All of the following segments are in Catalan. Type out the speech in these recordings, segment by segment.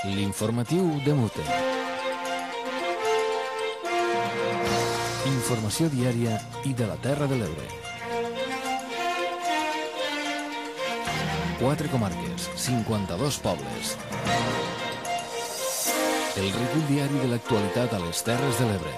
L'informatiu de Mute. Informació diària i de la Terra de l'Ebre. 4 comarques, 52 pobles. El recull diari de l'actualitat a les Terres de l'Ebre.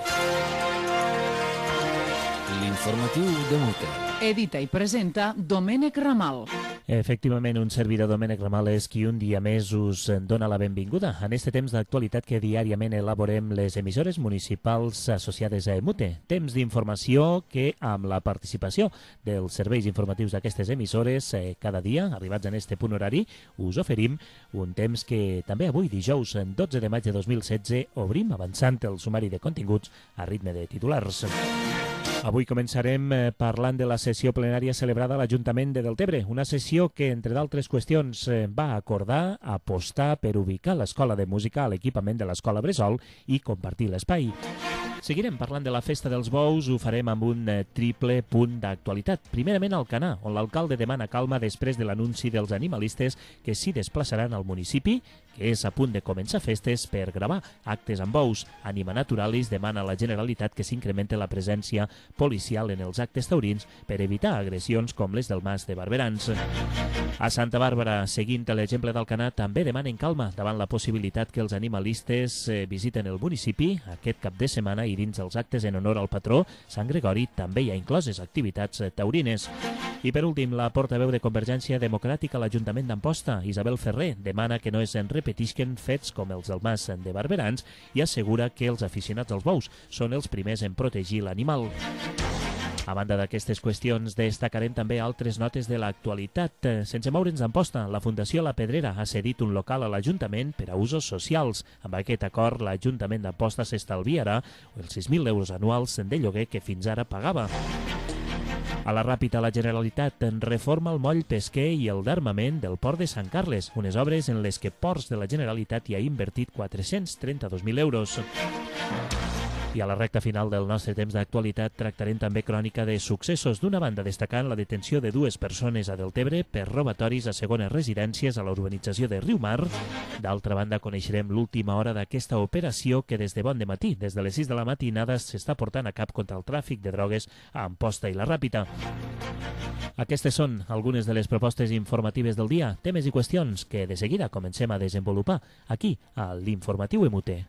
L'informatiu de Mute. Edita i presenta Domènec Ramal. Efectivament, un servidor, Domènec Ramal, és qui un dia més us dona la benvinguda en este temps d'actualitat que diàriament elaborem les emissores municipals associades a Mute. Temps d'informació que, amb la participació dels serveis informatius d'aquestes emissores, cada dia, arribats en este punt horari, us oferim un temps que també avui, dijous 12 de maig de 2016, obrim avançant el sumari de continguts a ritme de titulars. Avui començarem parlant de la sessió plenària celebrada a l'Ajuntament de Deltebre, una sessió que, entre d'altres qüestions, va acordar apostar per ubicar l'Escola de Música a l'equipament de l'Escola Bressol i compartir l'espai. Seguirem parlant de la Festa dels Bous, ho farem amb un triple punt d'actualitat. Primerament al Canà, on l'alcalde demana calma després de l'anunci dels animalistes que s'hi desplaçaran al municipi, que és a punt de començar festes per gravar actes amb bous. Anima Naturalis demana a la Generalitat que s'incremente la presència policial en els actes taurins per evitar agressions com les del Mas de Barberans. A Santa Bàrbara, seguint l'exemple d'Alcanar, també demanen calma davant la possibilitat que els animalistes visiten el municipi aquest cap de setmana i dins els actes en honor al patró, Sant Gregori, també hi ha incloses activitats taurines. I per últim, la portaveu de Convergència Democràtica a l'Ajuntament d'Amposta, Isabel Ferrer, demana que no es repetisquen fets com els del Mas de Barberans i assegura que els aficionats als bous són els primers en protegir l'animal. A banda d'aquestes qüestions, destacarem també altres notes de l'actualitat. Sense moure'ns d'Amposta, la Fundació La Pedrera ha cedit un local a l'Ajuntament per a usos socials. Amb aquest acord, l'Ajuntament d'Amposta s'estalviarà els 6.000 euros anuals de lloguer que fins ara pagava. A la Ràpita, la Generalitat reforma el moll pesquer i el d'armament del port de Sant Carles, unes obres en les que Ports de la Generalitat hi ha invertit 432.000 euros. I a la recta final del nostre temps d'actualitat tractarem també crònica de successos. D'una banda, destacant la detenció de 2 persones a Deltebre per robatoris a segones residències a la urbanització de Riumar. D'altra banda, coneixerem l'última hora d'aquesta operació que des de bon dematí, des de les 6 de la matinada, s'està portant a cap contra el tràfic de drogues a Amposta i la Ràpita. Aquestes són algunes de les propostes informatives del dia, temes i qüestions que de seguida comencem a desenvolupar aquí, a l'Informatiu Mute.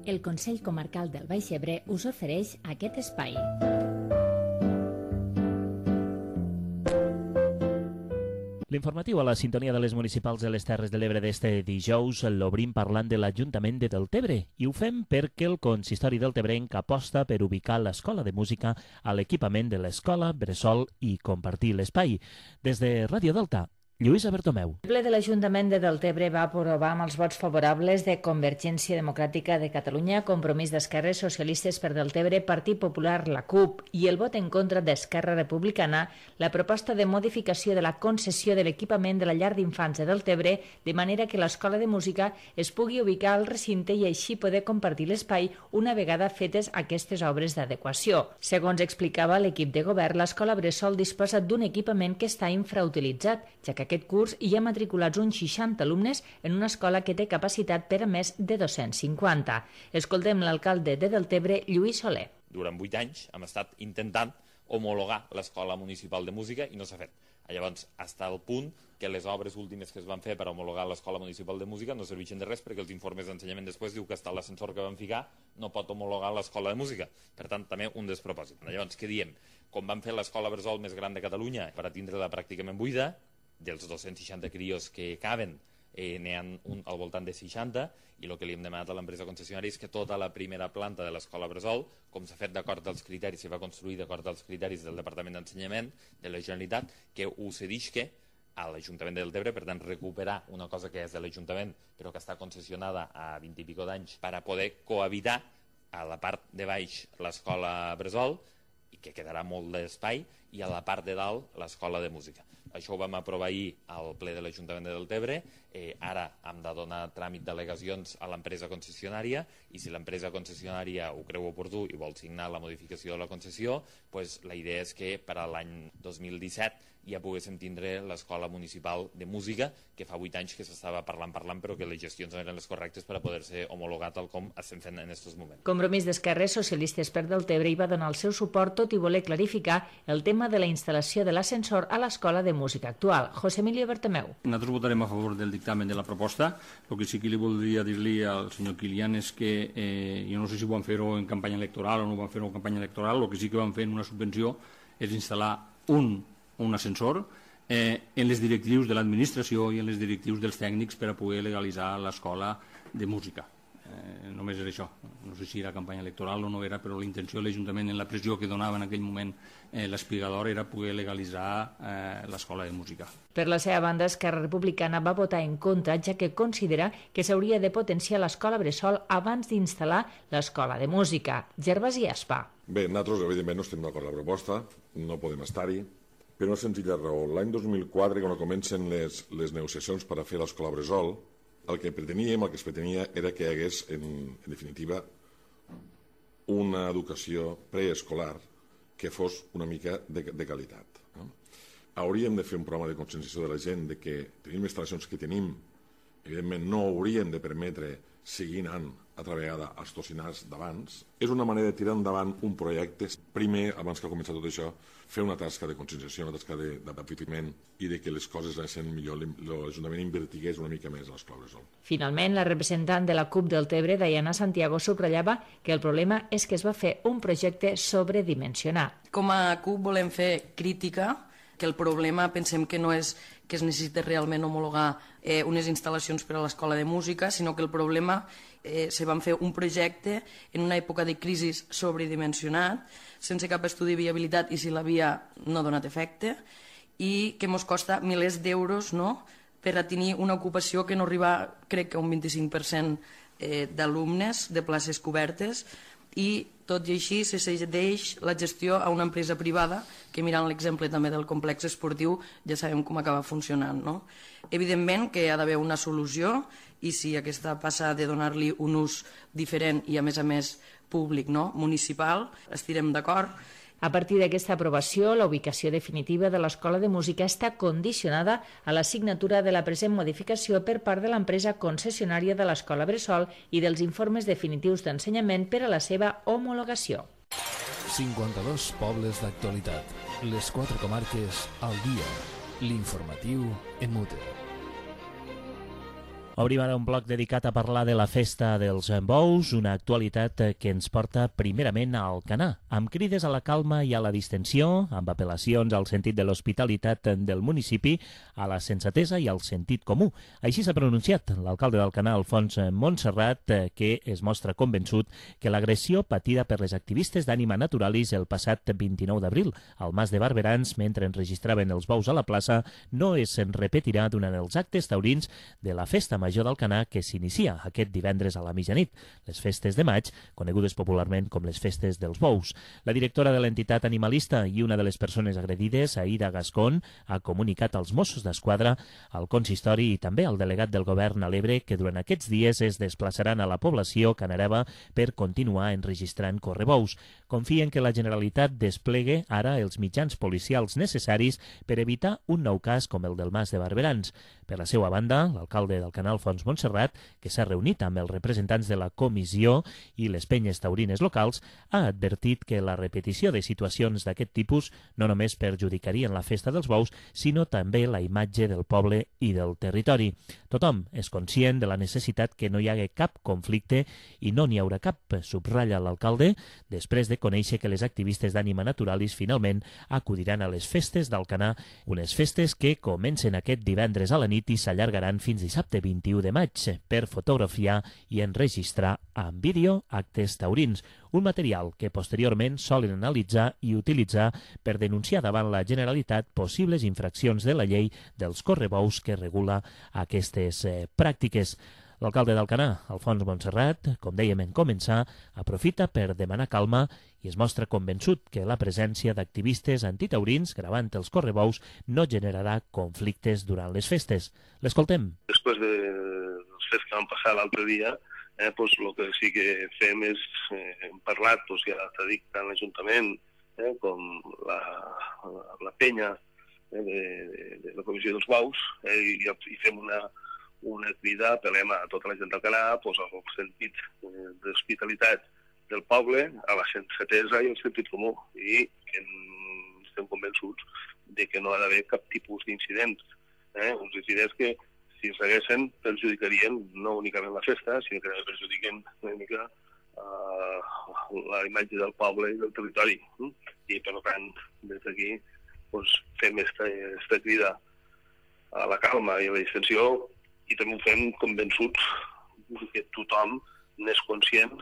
El Consell Comarcal del Baix Ebre us ofereix aquest espai. L'informatiu a la sintonia de les municipals de les Terres de l'Ebre d'este dijous l'obrim parlant de l'Ajuntament de Deltebre i ho fem perquè el consistori deltebrenc aposta per ubicar l'Escola de Música a l'equipament de l'Escola Bressol i compartir l'espai. Des de Ràdio Delta, Lluïsa Bertomeu. El ple de l'Ajuntament de Deltebre va aprovar amb els vots favorables de Convergència Democràtica de Catalunya, Compromís d'Esquerres Socialistes per Deltebre, Partit Popular, la CUP i el vot en contra d'Esquerra Republicana la proposta de modificació de la concessió de l'equipament de la llar d'infants de Deltebre de manera que l'Escola de Música es pugui ubicar al recinte i així poder compartir l'espai una vegada fetes aquestes obres d'adequació. Segons explicava l'equip de govern, l'Escola Bressol disposa d'un equipament que està infrautilitzat, ja que aquest curs hi ha matriculats uns 60 alumnes en una escola que té capacitat per a més de 250. Escoltem l'alcalde de Deltebre, Lluís Soler. Durant 8 anys hem estat intentant homologar l'Escola Municipal de Música i no s'ha fet. Llavors, fins al punt que les obres últimes que es van fer per homologar l'Escola Municipal de Música no serveixen de res perquè els informes d'ensenyament després diu que està l'ascensor que van ficar no pot homologar l'Escola de Música. Per tant, també un despropòsit. Llavors, què diem? Com van fer l'Escola Bressol més gran de Catalunya per a tindre-la pràcticament buida, dels 260 crios que caben n'hi ha al voltant de 60 i el que li hem demanat a l'empresa concessionària és que tota la primera planta de l'Escola Bressol, com s'ha fet d'acord als criteris, s'hi va construir d'acord als criteris del Departament d'Ensenyament de la Generalitat, que ho cedisca a l'Ajuntament de Deltebre, per tant recuperar una cosa que és de l'Ajuntament però que està concessionada a 20 i pico d'anys per a poder cohabitar a la part de baix l'Escola Bressol i que quedarà molt d'espai i a la part de dalt l'Escola de Música. Això ho vam aprovar ahir al ple de l'Ajuntament de Deltebre. Ara hem de donar tràmit d'al·legacions a l'empresa concessionària i si l'empresa concessionària ho creu oportú i vol signar la modificació de la concessió, la idea és que per a l'any 2017 ja poguéssim tindre l'Escola Municipal de Música, que fa 8 anys que s'estava parlant, però que les gestions no eren les correctes per a poder-se homologar tal com estem fent en aquests moments. Compromís d'Esquerres Socialistes per Deltebre hi va donar el seu suport, tot i voler clarificar el tema de la instal·lació de l'ascensor a l'Escola de Música actual. José Emilio Bertomeu. Nosaltres votarem a favor del dictamen de la proposta. El que sí que li voldria dir-li al senyor Kilian és que jo no sé si ho van fer-ho en campanya electoral o no ho van fer-ho en campanya electoral, el que sí que van fer en una subvenció és instal·lar un ascensor en les directrius de l'administració i en les directrius dels tècnics per a poder legalitzar l'escola de música. Només era això. No sé si era campanya electoral o no era, però la intenció de l'Ajuntament en la pressió que donava en aquell moment l'espigador era poder legalitzar l'escola de música. Per la seva banda, Esquerra Republicana va votar en contra, ja que considera que s'hauria de potenciar l'escola bressol abans d'instal·lar l'escola de música. Gervasi Aspa. Bé, nosaltres evidentment no estem d'acord amb la proposta, no podem estar-hi, per una senzilla raó. L'any 2004, quan comencen les negociacions per a fer l'escola bressol, el que es pretenia era que hi hagués, en definitiva, una educació preescolar que fos una mica de qualitat. Hauríem de fer un programa de conscienciació de la gent de que tenim instal·lacions que tenim, evidentment no hauríem de permetre seguir anant altra vegada als tocinars d'abans. És una manera de tirar endavant un projecte. Primer, abans que ha començat tot això, fer una tasca de conscienciació, una tasca d'aprimament i de que les coses anessin millor, l'Ajuntament invertigués una mica més a l'escola bressol. Finalment, la representant de la CUP del Tebre, Diana Santiago, subratllava que el problema és que es va fer un projecte sobredimensionat. Com a CUP volem fer crítica, que el problema pensem que no és que es necessita realment homologar unes instal·lacions per a l'escola de música, sinó que el problema se van fer un projecte en una època de crisi sobredimensionat, sense cap estudi de viabilitat i si l'havia no ha donat efecte, i que ens costa milers d'euros per a tenir una ocupació que no arriba, crec que un 25% d'alumnes, de places cobertes, i tot i així se cedeix la gestió a una empresa privada que, mirant l'exemple també del complex esportiu, ja sabem com acaba funcionant. Evidentment que hi ha d'haver una solució i si aquesta passa de donar-li un ús diferent i a més públic, municipal, estirem d'acord. A partir d'aquesta aprovació, la ubicació definitiva de l'Escola de Música està condicionada a la signatura de la present modificació per part de l'empresa concessionària de l'Escola Bressol i dels informes definitius d'ensenyament per a la seva homologació. 52 pobles d'actualitat. Les 4 comarques al dia. L'informatiu EMUTE. Obrim ara un bloc dedicat a parlar de la festa dels bous, una actualitat que ens porta primerament a Alcanar, amb crides a la calma i a la distensió, amb apel·lacions al sentit de l'hospitalitat del municipi, a la sensatesa i al sentit comú. Així s'ha pronunciat l'alcalde d'Alcanar, Alfons Montserrat, que es mostra convençut que l'agressió patida per les activistes d'Ànima Naturalis el passat 29 d'abril al Mas de Barberans mentre enregistraven els bous a la plaça no es repetirà durant els actes taurins de la festa major d'Alcanar que s'inicia aquest divendres a la mitjanit, les festes de maig, conegudes popularment com les festes dels bous. La directora de l'entitat animalista i una de les persones agredides, Aida Gascón, ha comunicat als Mossos d'Esquadra, al consistori i també al delegat del govern a l'Ebre que durant aquests dies es desplaçaran a la població canareva per continuar enregistrant correbous. Confien que la Generalitat desplegue ara els mitjans policials necessaris per evitar un nou cas com el del Mas de Barberans. Per la seva banda, l'alcalde d'Alcanar, Alfons Montserrat, que s'ha reunit amb els representants de la comissió i les penyes taurines locals, ha advertit que la repetició de situacions d'aquest tipus no només perjudicarien la festa dels bous, sinó també la imatge del poble i del territori. Tothom és conscient de la necessitat que no hi hagi cap conflicte i no n'hi haurà cap, subratlla l'alcalde, després de conèixer que les activistes d'Ànima Naturalis finalment acudiran a les festes d'Alcanar, unes festes que comencen aquest divendres a la nit i s'allargaran fins dissabte 21 de maig per fotografiar i enregistrar en vídeo actes taurins, un material que posteriorment solen analitzar i utilitzar per denunciar davant la Generalitat possibles infraccions de la llei dels correbous que regula aquestes pràctiques. L'alcalde d'Alcanar, Alfons Montserrat, com dèiem en començar, aprofita per demanar calma i es mostra convençut que la presència d'activistes antitaurins gravant els correbous no generarà conflictes durant les festes. L'escoltem. Després dels fets que van passar l'altre dia, el que sí que fem és, hem parlat, ja t'ha dit, tant l'Ajuntament com la penya de la Comissió dels Bous, i fem una crida, apel·lem a tota la gent d'Alcanar, al sentit d'hospitalitat del poble, a la sensatesa i al sentit comú, i estem convençuts de que no ha d'haver cap tipus d'incidents. Uns incidents que, si es segueixen, perjudicarien no únicament la festa, sinó que perjudiquen una mica la imatge del poble i del territori. I, per tant, des d'aquí fem aquesta crida a la calma i a la distensió, i també ho fem convençuts que tothom n'és conscient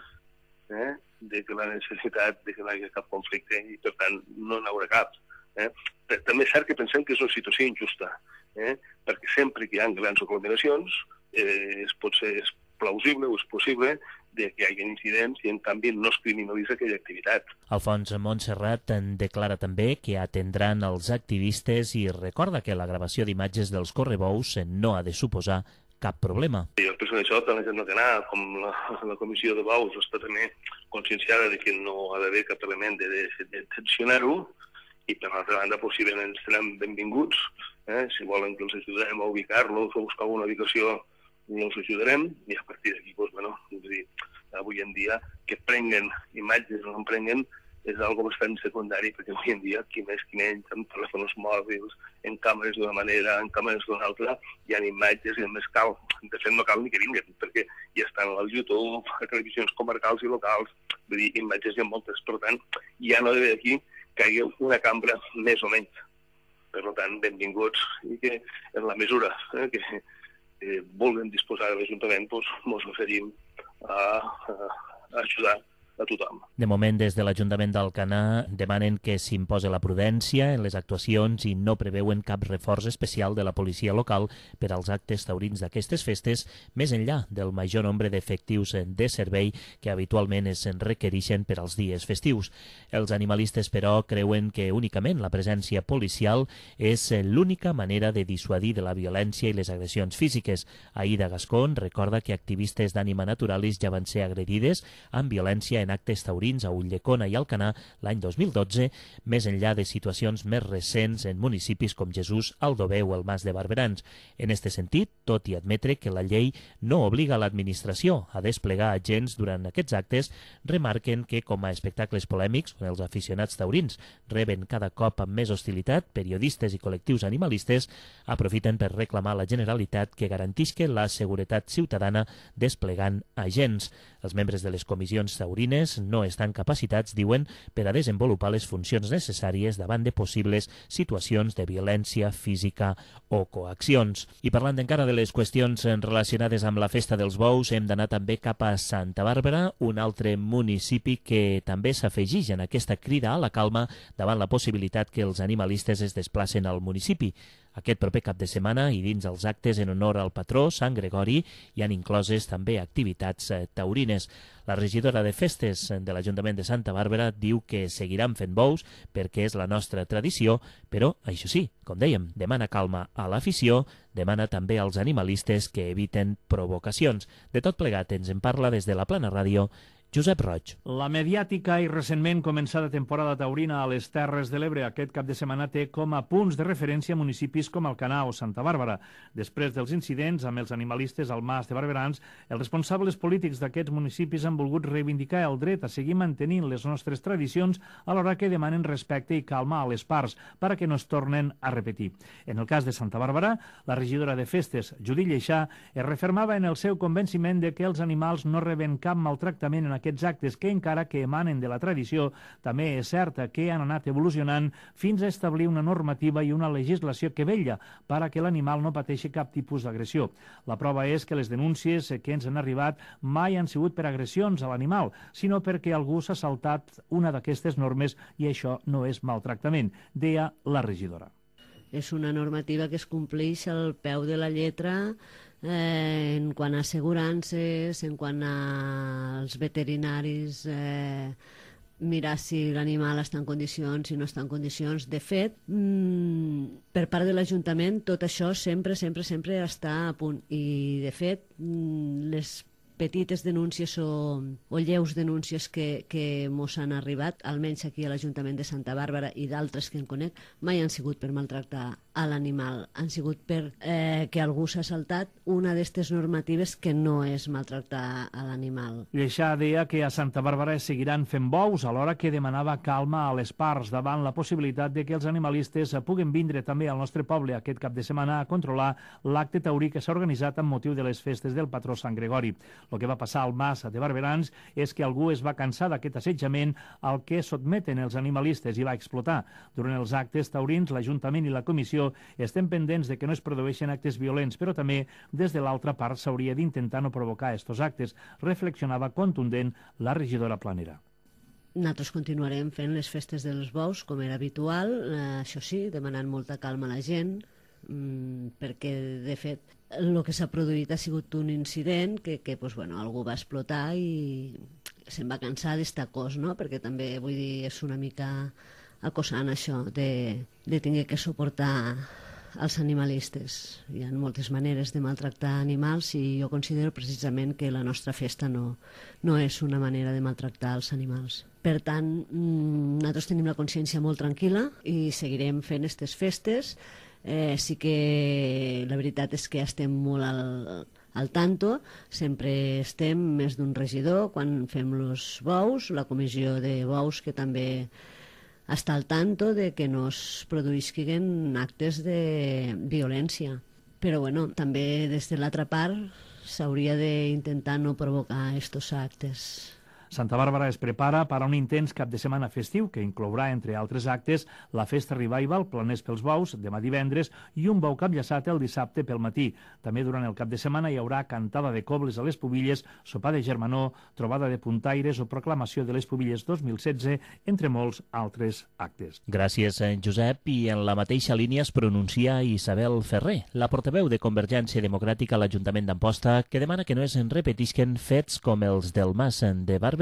de que la necessitat de que no hi hagi cap conflicte i, per tant, no n'haurà cap. També és cert que pensem que és una situació injusta, perquè sempre que hi ha grans aglomeracions és plausible o és possible de que hi hagi incidents i, en canvi, no es criminalitza aquella activitat. Alfons Montserrat en declara també que atendran els activistes i recorda que la gravació d'imatges dels correbous no ha de suposar cap problema. Jo penso que això, tant la gent d'Alcanar com la Comissió de Bous està també conscienciada de que no ha d'haver cap element de tensionar-ho, i per l'altra banda, possiblement ens seran benvinguts. Si volen que els ajudarem a ubicar-los o buscar alguna ubicació, els ajudarem, i a partir d'aquí, avui en dia, que prenguen imatges o no en prenguen, és algo bastant secundari, perquè avui en dia, qui més qui menys, amb telèfons mòbils, en càmeres d'una manera, en càmeres d'una altra, hi ha imatges i només cal. De fet, no cal ni que vinguen, perquè ja estan al YouTube, a televisions comarcals i locals, vull dir, imatges hi ha moltes. Per tant, ja no deve d'aquí que hi hagi una cambra més o menys. Per tant, benvinguts, i que en la mesura que vulguem disposar de l'Ajuntament, ens oferim a ajudar a tothom. De moment, des de l'Ajuntament d'Alcanar demanen que s'imposi la prudència en les actuacions i no preveuen cap reforç especial de la policia local per als actes taurins d'aquestes festes, més enllà del major nombre d'efectius de servei que habitualment es requereixen per als dies festius. Els animalistes, però, creuen que únicament la presència policial és l'única manera de dissuadir de la violència i les agressions físiques. Aida Gascón recorda que activistes d'Ànima Naturalis ja van ser agredides amb violència en actes taurins a Ulldecona i Alcanar l'any 2012, més enllà de situacions més recents en municipis com Jesús, Aldover o el Mas de Barberans. En este sentit, tot i admetre que la llei no obliga l'administració a desplegar agents durant aquests actes, remarquen que, com a espectacles polèmics, on els aficionats taurins reben cada cop amb més hostilitat, periodistes i col·lectius animalistes aprofiten per reclamar a la Generalitat que garantisca la seguretat ciutadana desplegant agents. Els membres de les comissions taurines no estan capacitats, diuen, per a desenvolupar les funcions necessàries davant de possibles situacions de violència física o coaccions. I parlant encara de les qüestions relacionades amb la Festa dels Bous, hem d'anar també cap a Santa Bàrbara, un altre municipi que també s'afegeix en aquesta crida a la calma davant la possibilitat que els animalistes es desplacen al municipi. Aquest proper cap de setmana i dins els actes en honor al patró, Sant Gregori, hi han incloses també activitats taurines. La regidora de festes de l'Ajuntament de Santa Bàrbara diu que seguiran fent bous perquè és la nostra tradició, però, això sí, com dèiem, demana calma a l'afició, demana també als animalistes que eviten provocacions. De tot plegat ens en parla des de la Plana Ràdio Josep Roig. La mediàtica i recentment començada temporada taurina a les Terres de l'Ebre aquest cap de setmana té com a punts de referència municipis com Alcanar o Santa Bàrbara. Després dels incidents amb els animalistes al Mas de Barberans, els responsables polítics d'aquests municipis han volgut reivindicar el dret a seguir mantenint les nostres tradicions alhora que demanen respecte i calma a les parts perquè no es tornen a repetir. En el cas de Santa Bàrbara, la regidora de festes, Judit Lleixà, es refermava en el seu convenciment de que els animals no reben cap maltractament en aquests actes que, encara que emanen de la tradició, també és cert que han anat evolucionant fins a establir una normativa i una legislació que vetlla perquè l'animal no pateixi cap tipus d'agressió. La prova és que les denúncies que ens han arribat mai han sigut per agressions a l'animal, sinó perquè algú s'ha saltat una d'aquestes normes i això no és maltractament, deia la regidora. És una normativa que es compleix al peu de la lletra en quant a assegurances, en quant als veterinaris, mirar si l'animal està en condicions, si no està en condicions. De fet, per part de l'Ajuntament, tot això sempre està a punt. I, de fet, les petites denúncies o lleus denúncies que mos han arribat, almenys aquí a l'Ajuntament de Santa Bàrbara i d'altres que en conec, mai han sigut per maltractar a l'animal, han sigut per que algú s'ha saltat una d'aquestes normatives que no és maltractar a l'animal. Lleixà deia que a Santa Bàrbara es seguiran fent bous, alhora que demanava calma a les parts davant la possibilitat de que els animalistes puguen vindre també al nostre poble aquest cap de setmana a controlar l'acte taurí que s'ha organitzat amb motiu de les festes del patró Sant Gregori. El que va passar al Mas de Barberans és que algú es va cansar d'aquest assetjament al que sotmeten els animalistes i va explotar. Durant els actes taurins, l'Ajuntament i la Comissió estem pendents de que no es produeixin actes violents, però també des de l'altra part s'hauria d'intentar no provocar estos actes, reflexionava contundent la regidora planera. Nosaltres continuarem fent les festes dels bous, com era habitual, això sí, demanant molta calma a la gent, perquè, de fet, el que s'ha produït ha sigut un incident que algú va explotar i se'n va cansar d'esta cos, no? Perquè també, vull dir, és una mica acossant això de tenir que suportar els animalistes. Hi ha moltes maneres de maltractar animals i jo considero precisament que la nostra festa no és una manera de maltractar els animals. Per tant, nosaltres tenim la consciència molt tranquil·la i seguirem fent aquestes festes. Sí que la veritat és que estem molt al tanto, sempre estem més d'un regidor quan fem els bous, la comissió de bous que també està al tanto de que no es produïsquen actes de violència. Però bueno, també des de l'altra part s'hauria d'intentar no provocar aquests actes. Santa Bàrbara es prepara per a un intens cap de setmana festiu que inclourà, entre altres actes, la Festa Revival, Planers pels Bous, demà divendres, i un bou capllaçat el dissabte pel matí. També durant el cap de setmana hi haurà cantada de cobles a les Pubilles, sopar de germanor, trobada de puntaires o proclamació de les Pubilles 2016, entre molts altres actes. Gràcies, Josep. I en la mateixa línia es pronuncia Isabel Ferrer, la portaveu de Convergència Democràtica a l'Ajuntament d'Amposta, que demana que no es repetisquen fets com els del Mas de Barberans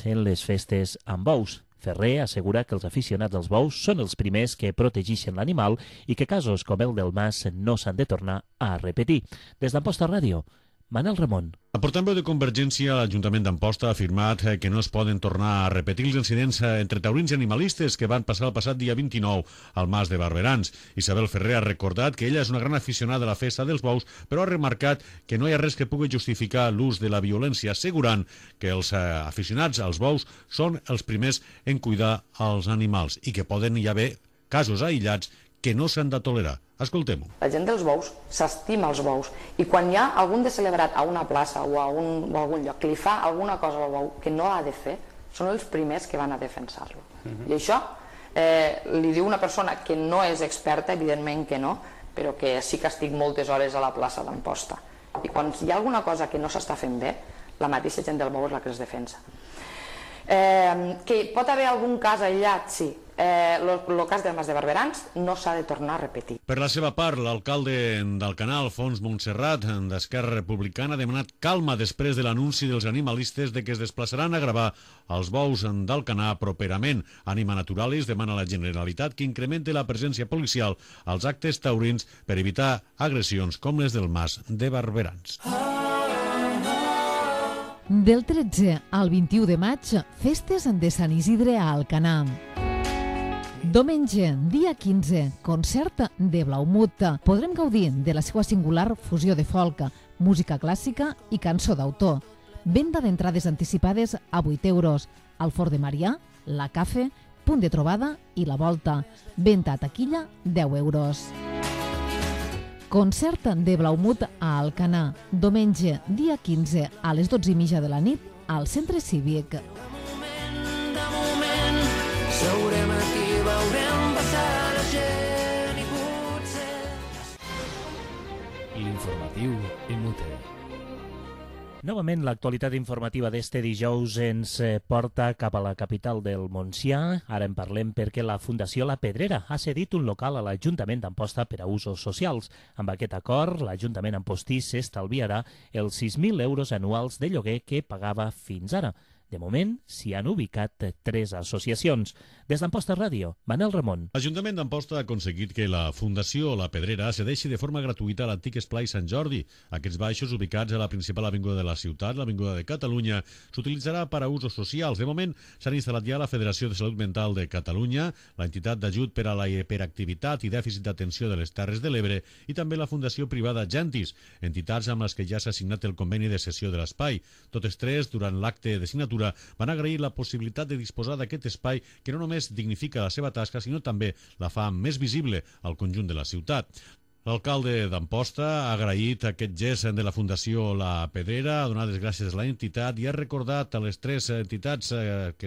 en les festes amb bous. Ferrer assegura que els aficionats als bous són els primers que protegeixen l'animal i que casos com el del Mas no s'han de tornar a repetir. Des d'Amposta Ràdio, Manel Ramon. El portaveu de Convergència a l'Ajuntament d'Amposta ha afirmat que no es poden tornar a repetir els incidents entre taurins i animalistes que van passar el passat dia 29 al Mas de Barberans. Isabel Ferrer ha recordat que ella és una gran aficionada a la festa dels bous, però ha remarcat que no hi ha res que pugui justificar l'ús de la violència, assegurant que els aficionats als bous són els primers en cuidar els animals i que poden hi haver casos aïllats que no s'han de tolerar. Escoltem-ho. La gent dels bous s'estima els bous i quan hi ha algun de celebrat a una plaça o a algun lloc que li fa alguna cosa al bou que no ha de fer, són els primers que van a defensar-lo. I això li diu una persona que no és experta, evidentment que no, però que sí que estic moltes hores a la plaça d'Amposta. I quan hi ha alguna cosa que no s'està fent bé, la mateixa gent del bou és la que es defensa. Que pot haver algun cas aïllat, sí. El cas del Mas de Barberans no s'ha de tornar a repetir. Per la seva part, l'alcalde d'Alcanar, Alfons Montserrat, d'Esquerra Republicana, ha demanat calma després de l'anunci dels animalistes de que es desplaçaran a gravar els bous d'Alcanar properament. Ànima Naturalis demana a la Generalitat que incremente la presència policial als actes taurins per evitar agressions com les del Mas de Barberans. Del 13 al 21 de maig, festes de Sant Isidre a Alcanar. Diumenge, dia 15, concert de Blaumut. Podrem gaudir de la seva singular fusió de folk, música clàssica i cançó d'autor. Venda d'entrades anticipades a 8 euros. Al Fort de Marià, la Cafe, Punt de Trobada i la Volta. Venda a taquilla, 10 euros. Concert de Blaumut a Alcanar. Diumenge, dia 15, a les 12:30 de la nit, al Centre Cívic. Seurem aquí, veurem passar la gent i potser... L'informatiu Imute. Novament, l'actualitat informativa d'este dijous ens porta cap a la capital del Montsià. Ara en parlem perquè la Fundació La Pedrera ha cedit un local a l'Ajuntament d'Amposta per a usos socials. Amb aquest acord, l'Ajuntament ampostí s'estalviarà els 6.000 euros anuals de lloguer que pagava fins ara. De moment, s'hi han ubicat 3 associacions. Des d'Amposta Ràdio, Manel Ramon. L'Ajuntament d'Amposta ha aconseguit que la Fundació La Pedrera cedeixi de forma gratuïta a l'antic esplai Sant Jordi. Aquests baixos, ubicats a la principal avinguda de la ciutat, l'Avinguda de Catalunya, s'utilitzarà per a usos socials. De moment, s'han instal·lat ja la Federació de Salut Mental de Catalunya, l'entitat d'ajut per a la hiperactivitat i dèficit d'atenció de les Terres de l'Ebre i també la Fundació Privada Gentis, entitats amb les que ja s'ha signat el conveni de cessió de l'espai. Totes 3, durant l'acte de signatura, van agrair la possibilitat de disposar d'aquest espai que no només dignifica la seva tasca, sinó també la fa més visible al conjunt de la ciutat. L'alcalde d'Amposta ha agraït aquest gest de la Fundació La Pedrera, ha donat les gràcies a l'entitat i ha recordat a les 3 entitats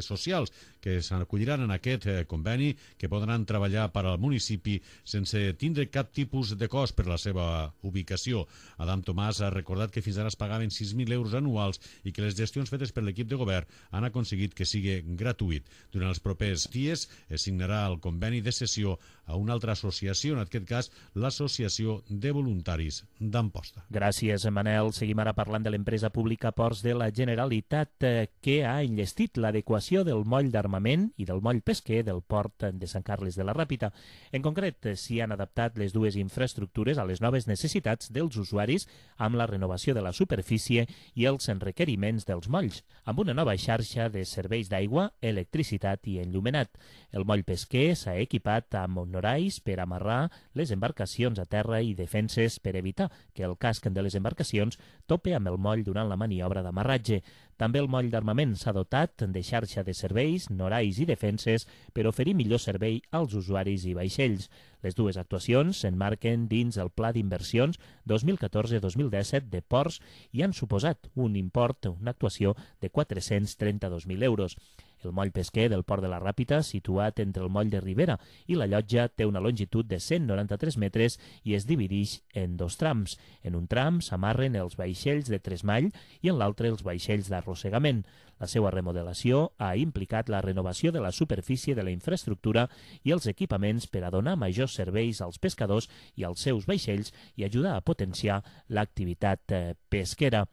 socials que s'acolliran en aquest conveni que podran treballar per al municipi sense tindre cap tipus de cost per la seva ubicació. Adam Tomàs ha recordat que fins ara es pagaven 6.000 euros anuals i que les gestions fetes per l'equip de govern han aconseguit que sigui gratuït. Durant els propers dies es signarà el conveni de cessió a una altra associació, en aquest cas l'Associació de Voluntaris d'Amposta. Gràcies, Manel. Seguim ara parlant de l'empresa pública Ports de la Generalitat que ha enllestit l'adequació del moll d'armament i del moll pesquer del port de Sant Carles de la Ràpita. En concret, s'hi han adaptat les dues infraestructures a les noves necessitats dels usuaris amb la renovació de la superfície i els requeriments dels molls, amb una nova xarxa de serveis d'aigua, electricitat i enllumenat. El moll pesquer s'ha equipat amb honorais per amarrar les embarcacions a terra i defenses per evitar que el casc de les embarcacions tope amb el moll durant la maniobra d'amarratge. També el moll d'armament s'ha dotat de xarxa de serveis, norais i defenses per oferir millor servei als usuaris i vaixells. Les dues actuacions s'enmarquen dins el Pla d'Inversions 2014-2017 de Ports i han suposat un import, una actuació de 432.000 euros. El moll pesquer del Port de la Ràpita, situat entre el moll de Ribera i la Llotja, té una longitud de 193 metres i es divideix en 2 trams. En un tram s'amarren els vaixells de tresmall i en l'altre els vaixells d'arrossegament. La seva remodelació ha implicat la renovació de la superfície de la infraestructura i els equipaments per a donar majors serveis als pescadors i als seus vaixells i ajudar a potenciar l'activitat pesquera.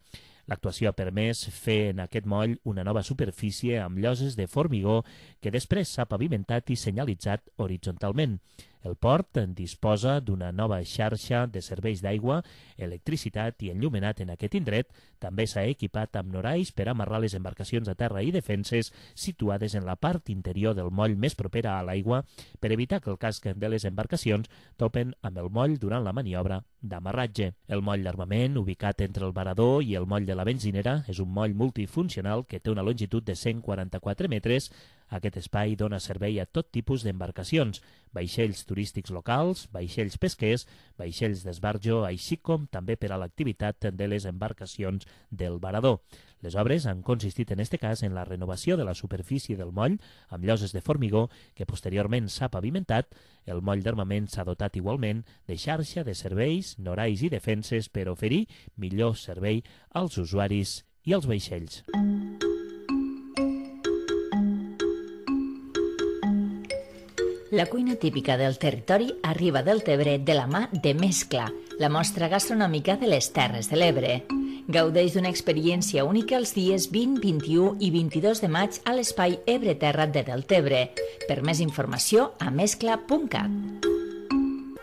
L'actuació ha permès fer en aquest moll una nova superfície amb lloses de formigó que després s'ha pavimentat i senyalitzat horitzontalment. El port disposa d'una nova xarxa de serveis d'aigua, electricitat i enllumenat en aquest indret. També s'ha equipat amb norais per amarrar les embarcacions a terra i defenses situades en la part interior del moll més propera a l'aigua per evitar que el casc de les embarcacions topen amb el moll durant la maniobra d'amarratge. El moll d'armament, ubicat entre el varador i el moll de la benzinera, és un moll multifuncional que té una longitud de 144 metres. Aquest espai dona servei a tot tipus d'embarcacions, vaixells turístics locals, vaixells pesquers, vaixells d'esbarjo, així com també per a l'activitat de les embarcacions del varador. Les obres han consistit en este cas en la renovació de la superfície del moll amb lloses de formigó que posteriorment s'ha pavimentat. El moll d'armament s'ha dotat igualment de xarxa de serveis, norais i defenses per oferir millor servei als usuaris i als vaixells. La cuina típica del territori arriba del Tebre de la mà de Mescla, la mostra gastronòmica de les Terres de l'Ebre. Gaudeix d'una experiència única els dies 20, 21 i 22 de maig a l'espai Ebre Terra de Deltebre. Per més informació, a mescla.cat.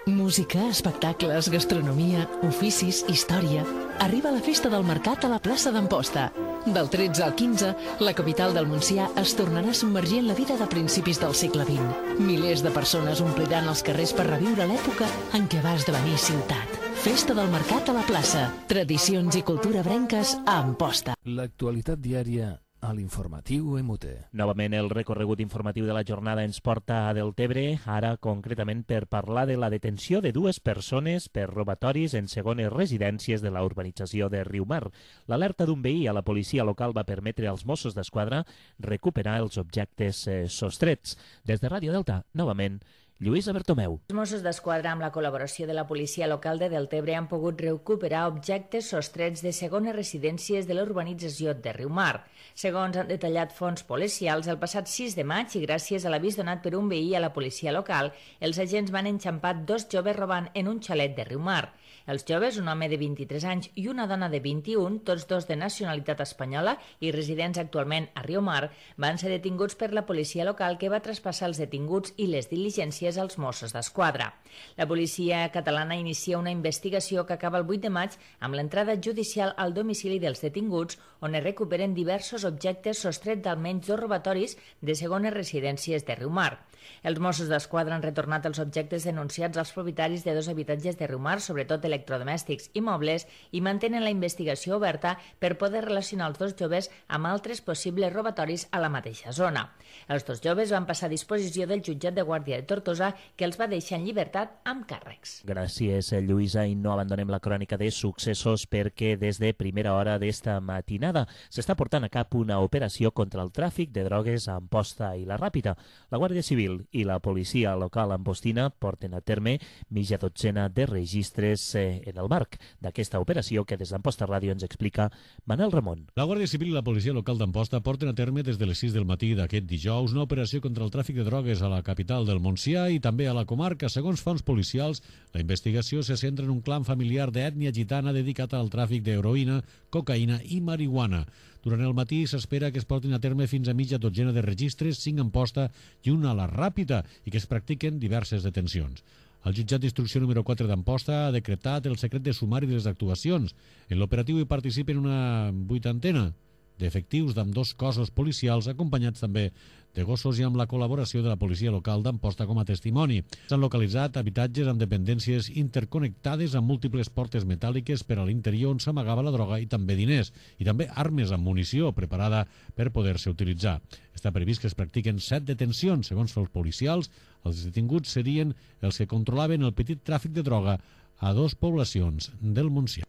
Música, espectacles, gastronomia, oficis, història... Arriba la Festa del Mercat a la plaça d'Amposta. Del 13 al 15, la capital del Montsià es tornarà a submergir en la vida de principis del segle XX. Milers de persones ompliran els carrers per reviure l'època en què va esdevenir ciutat. Festa del Mercat a la plaça. Tradicions i cultura ebrenques a Amposta. L'actualitat diària a l'informatiu MUT. Novament el recorregut informatiu de la jornada ens porta a Deltebre, ara concretament per parlar de la detenció de 2 persones per robatoris en segones residències de la urbanització de Riumar. L'alerta d'un veí a la policia local va permetre als Mossos d'Esquadra recuperar els objectes sostrets. Des de Ràdio Delta, novament, Lluïsa Bertomeu. Els Mossos d'Esquadra, amb la col·laboració de la policia local de Deltebre, han pogut recuperar objectes sostrets de segones residències de l'urbanització de Riumar. Segons han detallat fonts policials, el passat 6 de maig, i gràcies a l'avís donat per un veí a la policia local, els agents van enxampar 2 joves robant en un xalet de Riumar. Els joves, un home de 23 anys i una dona de 21, tots dos de nacionalitat espanyola i residents actualment a Riumar, van ser detinguts per la policia local, que va traspassar els detinguts i les diligències als Mossos d'Esquadra. La policia catalana inicia una investigació que acaba el 8 de maig amb l'entrada judicial al domicili dels detinguts, on es recuperen diversos objectes sostrets d'almenys 2 robatoris de segones residències de Riumar. Els Mossos d'Esquadra han retornat els objectes denunciats als propietaris de 2 habitatges de Riumar, sobretot electrodomèstics i mobles, i mantenen la investigació oberta per poder relacionar els 2 joves amb altres possibles robatoris a la mateixa zona. Els 2 joves van passar a disposició del jutjat de Guàrdia de Tortosa, que els va deixar en llibertat amb càrrecs. Gràcies, Lluïsa, i no abandonem la crònica de successos, perquè des de primera hora d'esta matinada s'està portant a cap una operació contra el tràfic de drogues a Amposta i la Ràpita. La Guàrdia Civil i la policia local ampostina porten a terme mitja dotzena de registres en el marc d'aquesta operació que des d'Amposta Ràdio ens explica Manel Ramon. La Guàrdia Civil i la policia local d'Amposta porten a terme des de les 6 del matí d'aquest dijous una operació contra el tràfic de drogues a la capital del Montsià i també a la comarca. Segons fonts policials, la investigació se centra en un clan familiar d'ètnia gitana dedicat al tràfic d'heroïna, cocaïna i marihuana. Durant el matí s'espera que es portin a terme fins a mitja dotzena de registres, 5 a Amposta i una a la Ràpita, i que es practiquen diverses detencions. El jutjat d'instrucció número 4 d'Amposta ha decretat el secret de sumari de les actuacions. En l'operatiu hi participen una 80ena d'efectius d'ambdós cossos policials, acompanyats també de gossos i amb la col·laboració de la policia local d'Amposta com a testimoni. S'han localitzat habitatges amb dependències interconnectades amb múltiples portes metàl·liques per a l'interior on s'amagava la droga i també diners, i també armes amb munició preparada per poder-se utilitzar. Està previst que es practiquen 7 detencions. Segons els policials, els detinguts serien els que controlaven el petit tràfic de droga a 2 poblacions del Montsià.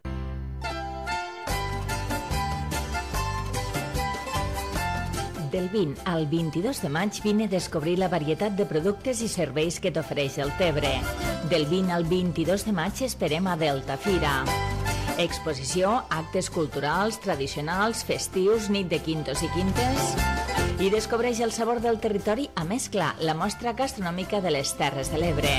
Del 20 al 22 de maig vine a descobrir la varietat de productes i serveis que t'ofereix el Tebre. Del 20 al 22 de maig esperem a Delta Fira. Exposició, actes culturals, tradicionals, festius, nit de quintos i quintes. I descobreix el sabor del territori a Mescla, la mostra gastronòmica de les Terres de l'Ebre.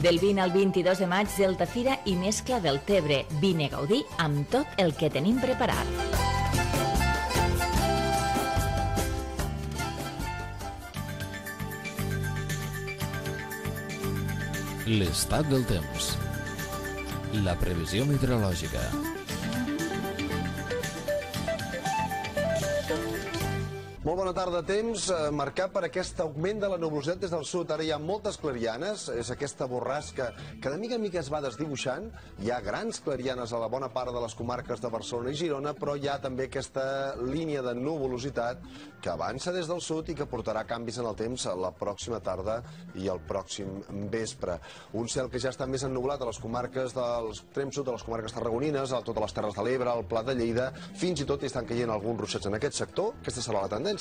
Del 20 al 22 de maig, Delta Fira i Mescla del Tebre. Vine a gaudir amb tot el que tenim preparat. L'estat del temps. La previsió meteorològica. Molt bona tarda. Temps marcat per aquest augment de la nuvolositat des del sud. Ara hi ha moltes clarianes, és aquesta borrasca que de mica en mica es va desdibuixant. Hi ha grans clarianes a la bona part de les comarques de Barcelona i Girona, però hi ha també aquesta línia de nuvolositat que avança des del sud i que portarà canvis en el temps la pròxima tarda i el pròxim vespre. Un cel que ja està més ennubulat a les comarques del extrem sud, a les comarques tarragonines, a totes les Terres de l'Ebre, al Pla de Lleida, fins i tot hi estan caient alguns ruixats en aquest sector. Aquesta serà la tendència.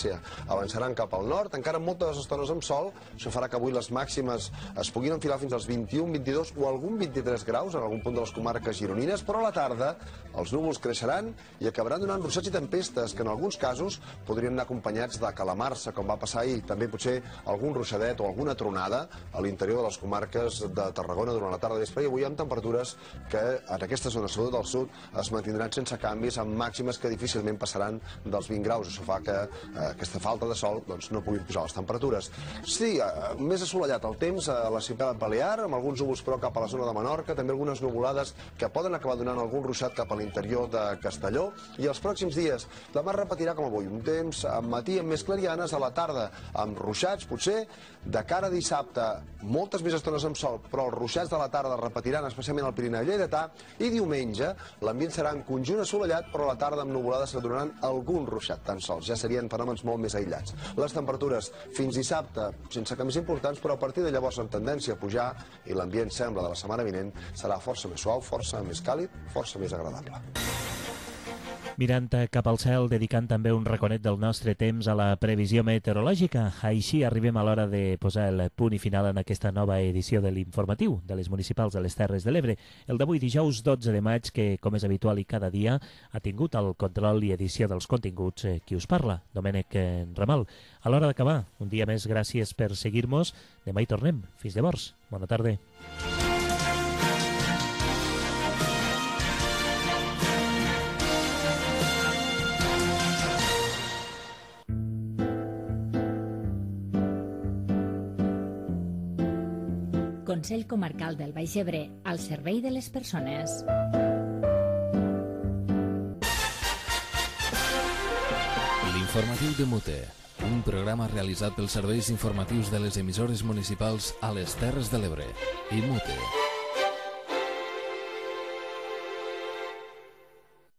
Avançaran cap al nord, encara moltes estones amb sol. Això farà que avui les màximes es puguin enfilar fins als 21, 22 o algun 23 graus en algun punt de les comarques gironines, però a la tarda els núvols creixeran i acabaran donant ruixats i tempestes que en alguns casos podrien anar acompanyats de calamarsa, com va passar ahir. També potser algun ruixadet o alguna tronada a l'interior de les comarques de Tarragona durant la tarda i vespre, i avui amb temperatures que en aquesta zona, sobretot del sud, es mantindran sense canvis, amb màximes que difícilment passaran dels 20 graus. Això fa que aquesta falta de sol no puguin pujar les temperatures. Sí, més assolellat el temps a la ciutat balear, amb alguns núvols però cap a la zona de Menorca, també algunes nuvolades que poden acabar donant algun ruixat cap a l'interior de Castelló. I els pròxims dies, demà repetirà com avui, un temps al matí amb més clarianes, a la tarda amb ruixats, potser de cara a dissabte moltes més estones amb sol, però els ruixats de la tarda repetiran especialment al Pirineu lleidatà, i diumenge l'ambient serà en conjunt assolellat, però a la tarda amb nuvolades se donaran algun ruixat tan sols. Ja serien fenòmens molt més aïllats. Les temperatures fins dissabte sense canvis importants, però a partir de llavors en tendència a pujar, i l'ambient sembla de la setmana vinent serà força més suau, força més càlid, força més agradable. Mirant cap al cel, dedicant també un raconet del nostre temps a la previsió meteorològica. Així arribem a l'hora de posar el punt i final en aquesta nova edició de l'informatiu de les municipals de les Terres de l'Ebre. El d'avui, dijous 12 de maig, que, com és habitual i cada dia, ha tingut el control i edició dels continguts qui us parla, Domènec Ramal. A l'hora d'acabar, un dia més, gràcies per seguir-nos. Demà hi tornem. Fins llavors. Bona tarda. Consell Comarcal del Baix Ebre, al servei de les persones. L'informatiu de Mute, un programa realitzat pels serveis informatius de les emissores municipals a les Terres de l'Ebre i Mute.